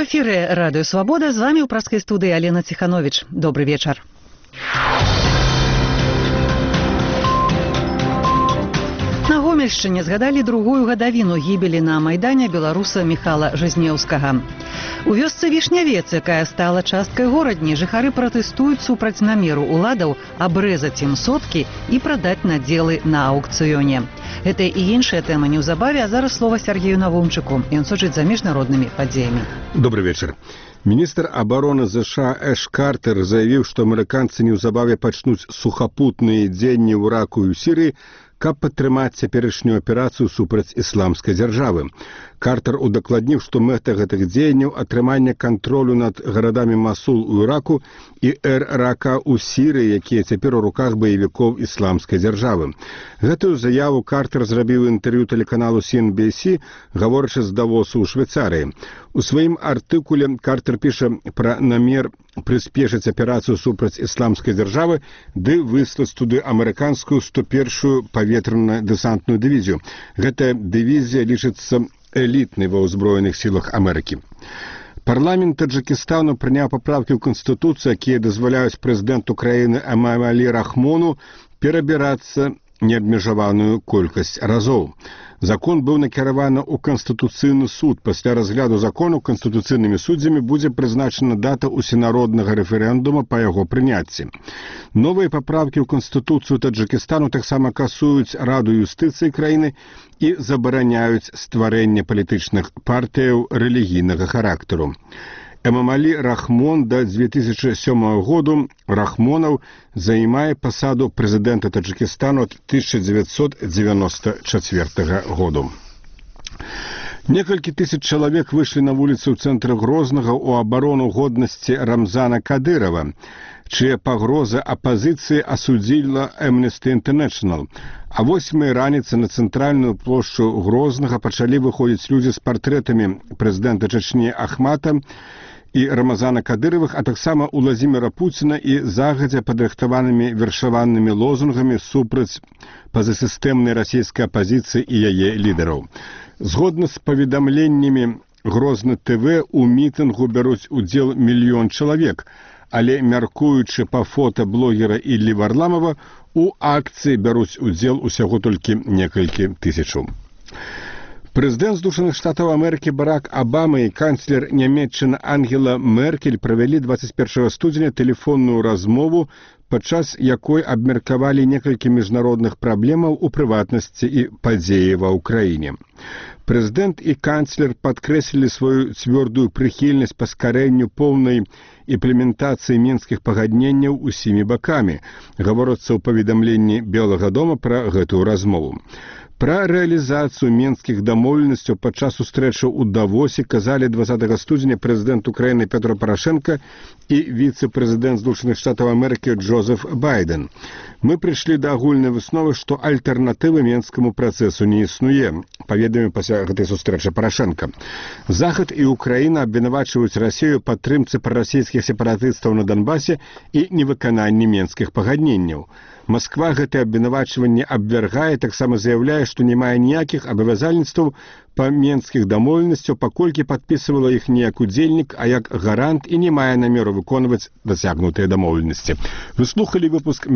У эфире «Радио Свобода». С вами у пражской студии Алена Тиханович. Добрый вечер. На Гомельшчыне згадалі другую гадавіну гібелі на Майдане беларуса Михала Жизнеўскага. У вёсцы Вішнявец, якая стала часткай горадні, жыхары пратэстуюць супраць намеру уладаў абрэзаць ім соткі і прадаць надзелы на аўкцыёне. Гэта і іншая тэма неўзабаве, а зараз слова Сергею Навумчыку. Ён сочыць за міжнароднымі падзеямі. Добрый вечер. Міністр абароны США Эш Картер заявіў, што амерыканцы неўзабаве пачнуць сухапутныя дзеянні ў Іраку і ў Сірыі, каб падтрымаць цяперашнюю аперацыю супраць ісламскай дзяржавы. Картер удакладніў, што мэта гэтых дзеянняў атрыманне кантролю над гарадамі Масул у Іраку і Эр-Рака ў Сірыі, якія цяпер у руках баевікоў ісламскай дзяржавы. Гэтую заяву Картер зрабіў інтэрв'ю тэлеканалу CNBC, гаворачы з Давосу ў Швейцарыі. У сваім артыкуле Картер піша пра намер прыспешыць аперацыю супраць ісламскай дзяржавы ды выслаць туды амерыканскую 101-ю паветрана-дэсантную дывізію. Гэтая дывізія лічыцца элітнай ва ўзброеных сілах Амерыкі. Парламент Таджикистану прыняў паправкі ў Канстытуцыю, якія дазваляюць прэзідэнту краіны Эмамалі Рахмону перабірацца неабмежаваную колькасць разоў. Закон быў накіраваны ў Канстытуцыйны суд. Пасля разгляду закону канстытуцыйнымі суддзямі будзе прызначана дата усенароднага рэферэндума па яго прыняцці. Новыя паправкі ў Канстытуцыю Таджикистану таксама касуюць Раду юстыцыі краіны і забараняюць стварэнне палітычных партыяў рэлігійнага характару. Эмамалі Рахмон да 2007 году Рахмонаў займае пасаду прэзідэнта Таджикистану ад 1994 году. Некалькі тысяч чалавек выйшлі на вуліцы ў цэнтры Грознага ў абарону годнасці Рамзана Кадырова, чыя пагроза апазіцыі асудзіла Amnesty International. А 8 раніцы на цэнтральную плошчу Грознага пачалі выходзіць людзі з партрэтамі прэзідэнта Чачні Ахмата і Рамазана Кадыровых, а таксама Уладзіміра Пуціна і загадзя падрыхтаванымі вершаванымі лозунгамі супраць пазасістэмнай расійскай апазіцыі і яе лідараў. Згодна з паведамленнямі Грозны ТВ, у мітынгу бяруць удзел 1 мільён чалавек, але, мяркуючы па фота блогера Іллі Варламова, у акцыі бяруць удзел усяго толькі некалькі тысячаў. Прэзідэнт Злучаных Штатаў Амерыкі Барак Абама і канцлер Нямецчыны Ангела Меркель правялі 21 студзеня тэлефонную размову, падчас якой абмеркавалі некалькі міжнародных праблемаў, у прыватнасці і падзеі ва ўкраіне. Прэзідэнт і канцлер падкрэслілі сваю цвёрдую прыхільнасць паскарэнню поўнай імплементацыі мінскіх пагадненняў усімі бакамі. Гаворыцца ў паведамленні Белага дома пра гэтую размову. Пра рэалізацыю мінскіх дамоўленасцяў падчас сустрэчы ў Давосе казалі 20 студзеня прэзідэнт Украіны Петро Парашенко і віцэ-прэзідэнт Злучаных Штатаў Амерыкі Джозеф Байден. Мы прыйшлі да агульнай высновы, што альтэрнатывы мінскаму працэсу не існуе, паведаміў пасля гэтай сустрэчы Парашенко. Захад і Украіна абвінавачваюць Расію падтрымцы прарасійскіх сепаратыстаў на Донбасе і невыкананні мінскіх пагадненняў. Масква гэтае абвінавачванне абвяргае, таксама заяўляе, што не мае ніякіх абавязальніцтваў па мінскіх дамоўленасцяў, паколькі падпісывала іх не як удзельнік, а як гарант і не мае намеру выконваць дасягнутыя дамоўленасці. Вы слухалі выпуск